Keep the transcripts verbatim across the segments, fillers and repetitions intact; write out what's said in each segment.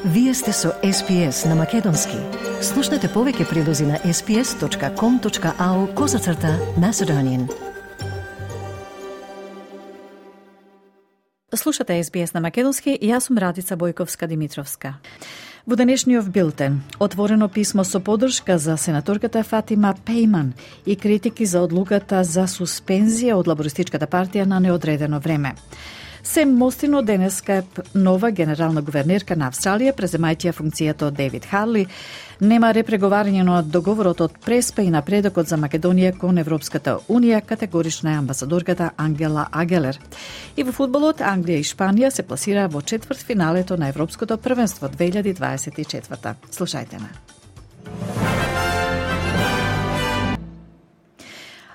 Вие сте со Ес Пи Ес на Македонски. Слушнете повеќе прилози на ес пи ес точка ком точка ау козацрта Macedonian. Слушате Ес Би Ес на Македонски и јас сум Радица Бојковска-Димитровска. Во денешниот билтен, отворено писмо со поддршка за сенаторката Фатима Пејман и критики за одлуката за суспензија од Лабористичката партија на неодредено време. Сем Мостин денеска е нова генерална гувернерка на Австралија, преземајќи функцијата од Дейвид Харли. Нема репреговарање на договорот од Преспа и напредокот за Македонија кон Европската Унија, категорична е амбасадорката Ангела Агелер. И во фудбалот Англија и Шпанија се пласира во четвртфиналето на Европското првенство две илјади дваесет и четврта. Слушајте ме.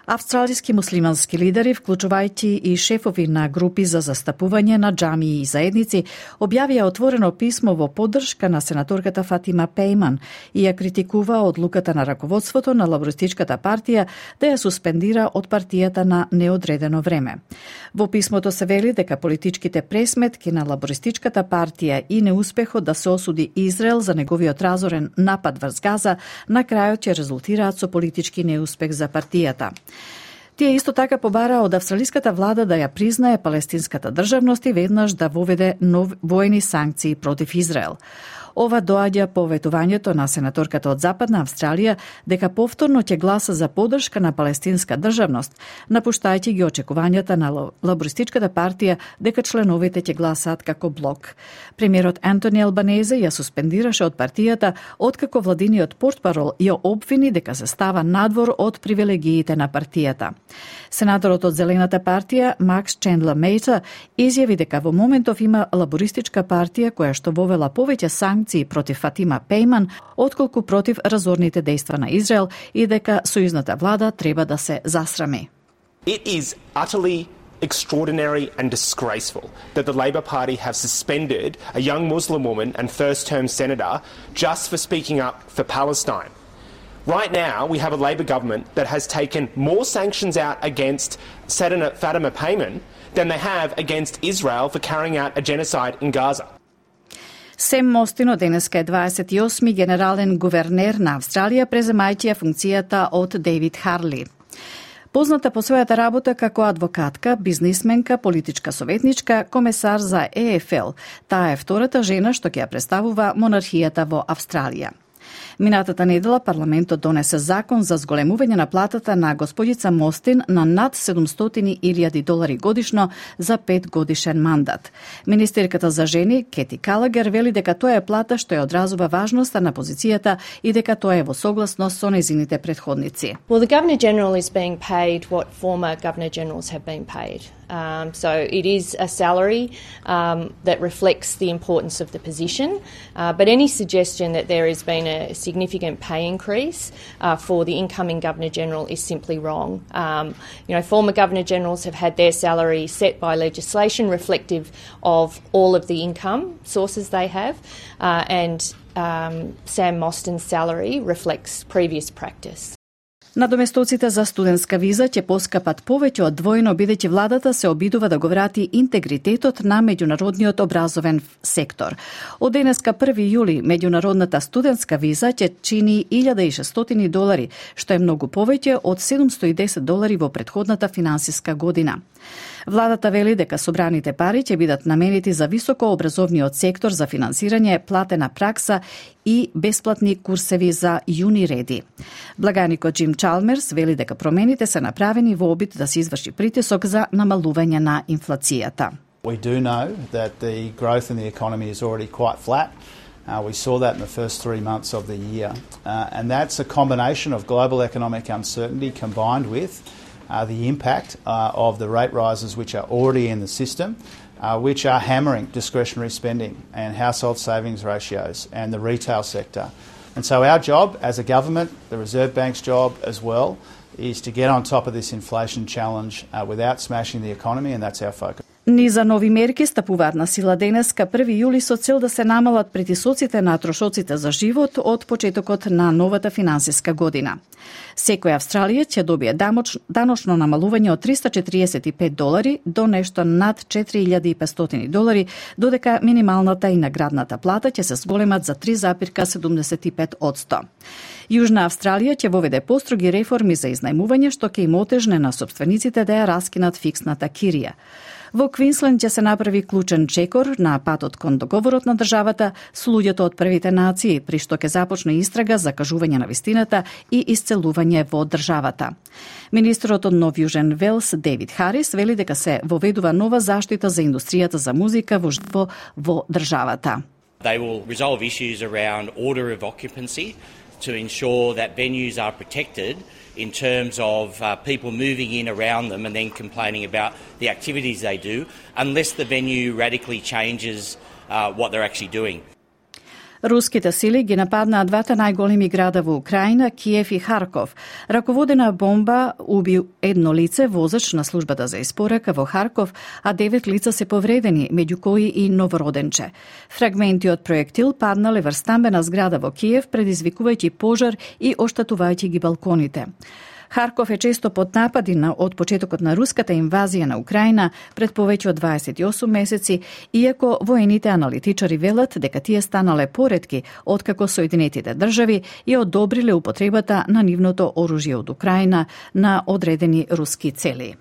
Австралиски муслимански лидери, вклучувајќи и шефови на групи за застапување на џамии и заедници, објавија отворено писмо во поддршка на сенаторката Фатима Пејман и ја критикува одлуката на раководството на Лабористичката партија да ја суспендира од партијата на неодредено време. Во писмото се вели дека политичките пресметки на Лабористичката партија и неуспехот да се осуди Израел за неговиот разорен напад врз Газа на крајот ќе резултираат со политички неуспех за партијата. Тие исто така побара од австралиската влада да ја признае палестинската државност и веднаш да воведе нов војни санкции против Израел. Ова доаѓа по ветувањето на сенаторката од Западна Австралија дека повторно ќе гласа за поддршка на палестинска државност, напуштајќи ги очекувањата на Лабористичката партија дека членовите ќе гласаат како блок. Премиерот Антони Албанезе ја суспендираше од партијата откако владиниот портпарол ја обвини дека се става надвор од привилегиите на партијата. Сенаторот од Зелената партија Макс Чендлер Мејта изјави дека во моментов има лабористичка партија која што вовела повеќе санкции против Фатима Пејман, отколку против разорните дејства на Израел и дека сојузната влада треба да се засрами. It is utterly extraordinary and disgraceful that the Labor Party have suspended a young Muslim woman and first-term senator just for speaking up for Palestine. Right now, we have a Labor government that has taken more sanctions out against Fatima Payman than they have against Israel for carrying out a genocide in Gaza. Сем Мостин денеска е дваесет и осми генерален гувернер на Австралија, преземајќи ја функцијата од Дейвид Харли. Позната по својата работа како адвокатка, бизнисменка, политичка советничка, комесар за Е Еф Ел, таа е втората жена што ќе ја представува монархијата во Австралија. Минатата недела парламентот донесе закон за зголемување на платата на господица Мостин на над седумстотини илјади долари годишно за пет годишен мандат. Министерката за жени Кети Калагер вели дека тоа е плата што ја одразува важноста на позицијата и дека тоа е во согласност со нејзините претходници. Well, the Governor General is being paid what former Governor Generals have been paid. Um, so it is a salary um, that reflects the importance of the position, uh, but any suggestion that there has been a significant pay increase uh, for the incoming Governor-General is simply wrong. Um, you know, former Governor-Generals have had their salary set by legislation reflective of all of the income sources they have, uh, and um, Sam Mostyn's salary reflects previous practice. Надоместоците за студентска виза ќе поскапат повеќе од двојно бидејќи владата се обидува да го врати интегритетот на меѓународниот образовен сектор. Од денеска први јули меѓународната студентска виза ќе чини илјада и шестстотини долари, што е многу повеќе од седумстотини и десет долари во претходната финансиска година. Владата вели дека собраните пари ќе бидат наменети за високообразовниот сектор за финансирање, платена пракса и бесплатни курсеви за јуниреди. Благаникот Джим Чалмерс вели дека промените се направени во обид да се изврши притисок за намалување на инфлацијата. We do know that the growth in the economy is already quite flat. Uh, we saw that in the first three months of the year. Uh, and that's a combination of global economic uncertainty combined with Uh, the impact uh, of the rate rises which are already in the system, uh, which are hammering discretionary spending and household savings ratios and the retail sector. And so our job as a government, the Reserve Bank's job as well, is to get on top of this inflation challenge uh, without smashing the economy, and that's our focus. Низа нови мерки стапуваат на сила денеска први јули со цел да се намалат притисоците на трошоците за живот од почетокот на новата финансиска година. Секој австралиец ќе добие даночно намалување од триста четиридесет и пет долари до нешто над четири илјади и петстотини долари, додека минималната и наградната плата ќе се зголемат за три зарез седумдесет и пет одсто. Јужна Австралија ќе воведе построги реформи за изнајмување, што ќе им отежне на собствениците да ја раскинат фиксната кирија. Во Квинсленд ќе се направи клучен чекор на патот кон договорот на државата со луѓето од првите нации, при што ќе започне истрага за кажување на вистината и исцелување во државата. Министерот од Нов Јужен Велс, Дейвид Харис, вели дека се воведува нова заштита за индустријата за музика во живо во државата. They will resolve issues around order of occupancy to ensure that venues are protected in terms of uh, people moving in around them and then complaining about the activities they do, unless the venue radically changes uh, what they're actually doing. Руските сили ги нападнаа двата најголеми града во Украина, Киев и Харков. Раководена бомба уби едно лице, возач на службата за испорака во Харков, а девет лица се повредени, меѓу кои и новороденче. Фрагменти од проектил паднале врз стамбена зграда во Киев, предизвикувајќи пожар и оштатувајќи ги балконите. Харков е често под напади на од почетокот на руската инвазија на Украина пред повеќе од дваесет и осум месеци, иако воените аналитичари велат дека тие станале поретки откако Соединетите држави ја одобриле употребата на нивното оружје од Украина на одредени руски цели.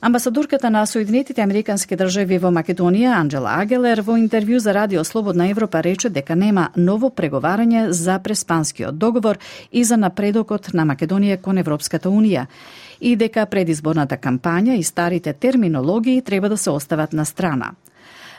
Амбасадорката на Соединетите Американски држави во Македонија, Анджела Агелер, во интервју за Радио Слободна Европа рече дека нема ново преговарање за преспанскиот договор и за напредокот на Македонија кон Европската Унија и дека предизборната кампања и старите терминологии треба да се остават на страна.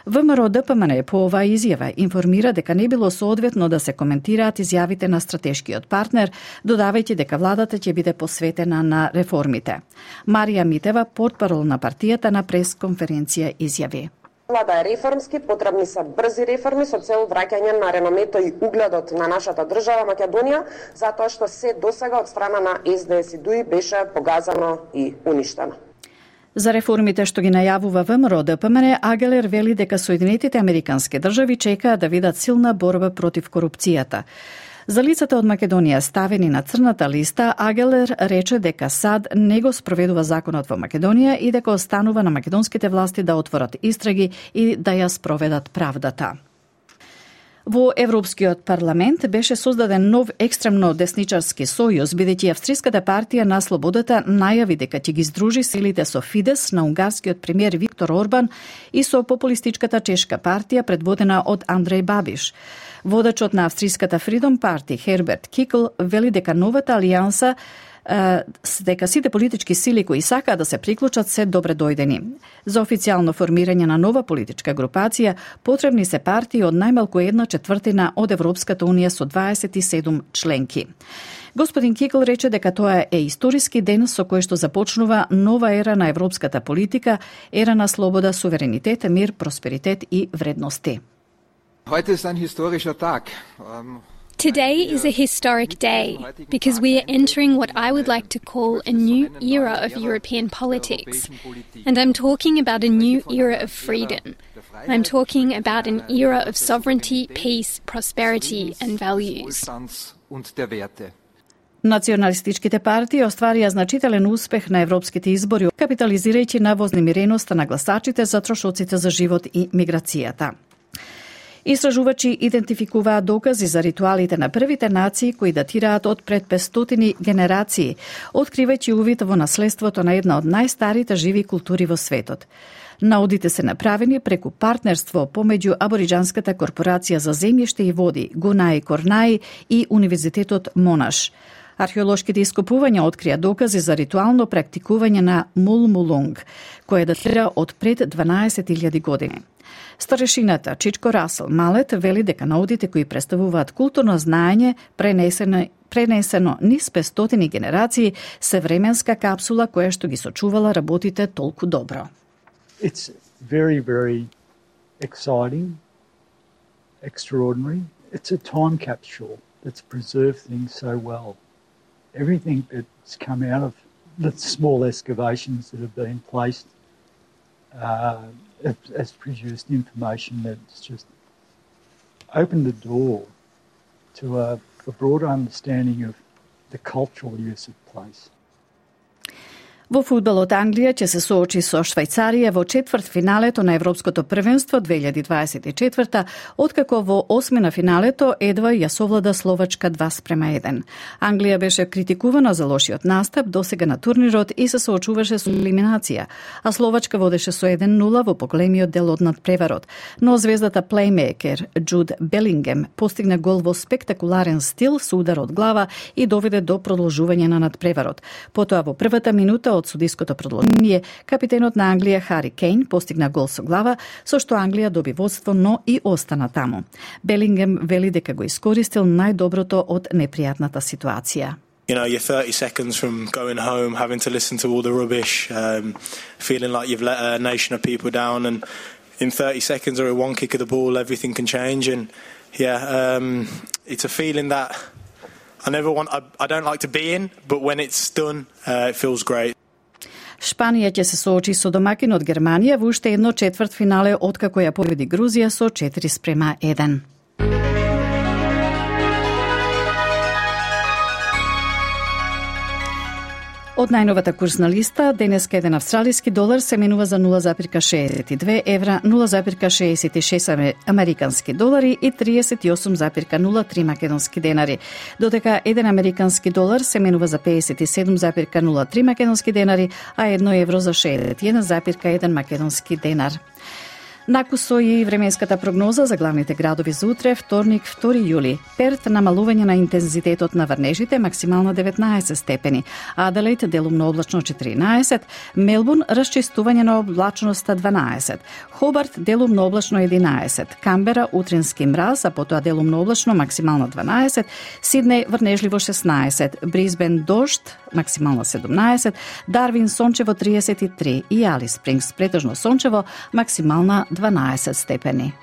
ВМРО Д П М Н по оваа изјава информира дека не било соодветно да се коментираат изјавите на стратешкиот партнер, додавајќи дека владата ќе биде посветена на реформите. Марија Митева, портпарол на партијата, на пресконференција изјави: Влада е реформски, потребни се брзи реформи со цел враќање на реномето и угледот на нашата држава Македонија, затоа што се досега од страна на С Д С и Д У И беше погазано и уништено. За реформите што ги најавува ВМРО Д П М Н, Агелер вели дека Соединетите Американски држави чекаат да видат силна борба против корупцијата. За лицата од Македонија ставени на црната листа, Агелер рече дека САД не го спроведува законот во Македонија и дека останува на македонските власти да отворат истраги и да ја спроведат правдата. Во Европскиот парламент беше создаден нов екстремно десничарски сојуз, бидејќи Австриската партија на слободата најави дека ќе ги здружи силите со Фидес на унгарскиот премиер Виктор Орбан и со популистичката чешка партија предводена од Андреј Бабиш. Водачот на Австриската Freedom Party Херберт Кикл вели дека новата алијанса дека сите политички сили кои сакаат да се приклучат се добре дојдени. За официјално формирање на нова политичка групација потребни се партии од најмалку една четвртина од Европската Унија со дваесет и седум членки. Господин Кикл рече дека тоа е историски ден со кој што започнува нова ера на европската политика, ера на слобода, суверенитет, мир, просперитет и вредности. Heute ist ein historischer Tag. Um... Today is a historic day because we are entering what I would like to call a new era of European politics. And I'm talking about a new era of freedom. I'm talking about an era of sovereignty, peace, prosperity and values. Националистичките партии остварија значителен успех на европските избори, капитализирајќи на вознемиреноста на гласачите за трошоците за живот и миграцијата. Истражувачи идентификуваат докази за ритуалите на првите нации кои датираат од пред петстотини генерации, откривајќи увид во наследството на една од најстарите живи култури во светот. Наудите се направени преку партнерство помеѓу Абориџанската корпорација за земјиште и води Гунаи Корнаи и Универзитетот Монаш. Археолошките ископувања открија докази за ритуално практикување на мулмулунг, кој датира од пред дванаесет илјади години. Старешината Чичко Расел Малет вели дека наудите кои представуваат културно знаење пренесено, пренесено низ петстотини генерации се временска капсула која што ги сочувала работите толку добро. It's very, very exciting, extraordinary. It's a time capsule that's preserved things so well. Everything that's come out of the small excavations that have been placed uh, has produced information that's just opened the door to a, a broader understanding of the cultural use of place. Во фудбалот Англија ќе се соочи со Швајцарија во четвртфиналето на Европското првенство две илјади дваесет и четврта, откако во осми на финалето едва ја совлада Словачка два спрема еден. Англија беше критикувана за лошиот настап досега на турнирот и се соочуваше со елиминација, а Словачка водеше со еден нула во поголемиот дел од надпреварот. Но звездата плеймейкер Джуд Белингем постигна гол во спектакуларен стил со удар од глава и доведе до продолжување на надпреварот. Потоа во првата минута од судиското продолжение, капитенот на Англија Хари Кейн постигна гол со глава, со што Англија доби водство, но и остана таму. Белингем вели дека го искористил најдоброто од непријатната ситуација. You know, you're thirty seconds from going home, having to listen to all the rubbish, um, feeling like you've let a nation of people down, and in thirty seconds or a one kick of the ball, everything can change. And yeah, um, it's a feeling that I never want, I, I don't like to be in, but when it's done, uh, it feels great. Шпанија ќе се соочи со домакинот Германија во уште едно четвртфинале откако ја победи Грузија со четири спрема еден. Од најновата курсна листа, денеска еден австралиски долар се менува за нула запирка шеесет и две евра, нула запирка шеесет и шест американски долари и триесет и осум запирка нула три македонски денари, додека еден американски долар се менува за пеесет и седум запирка нула три македонски денари, а едно евро за шеесет и еден запирка еден македонски денар. Накусо и временската прогноза за главните градови за утре, вторник, втори јули. Перт намалување на интензитетот на врнежите, максимално деветнаесет степени. Аделаид делумно облачно четиринаесет, Мелбурн расчистување на облачноста дванаесет, Хобарт делумно облачно единаесет, Камбера утрински мраз, а потоа делумно облачно максимално дванаесет, Сиднеј врнежливо шеснаесет, Брисбен дожд максимално седумнаесет, Дарвин сончево триесет и три и Алис Спрингс претежно сончево максимална дванаесет степени.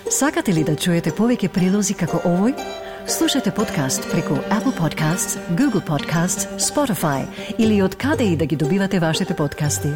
Сакате ли да чуете повеќе прилози како овој? Слушате подкаст преку Apple Podcasts, Google Podcasts, Spotify или од каде и да ги добивате вашите подкасти.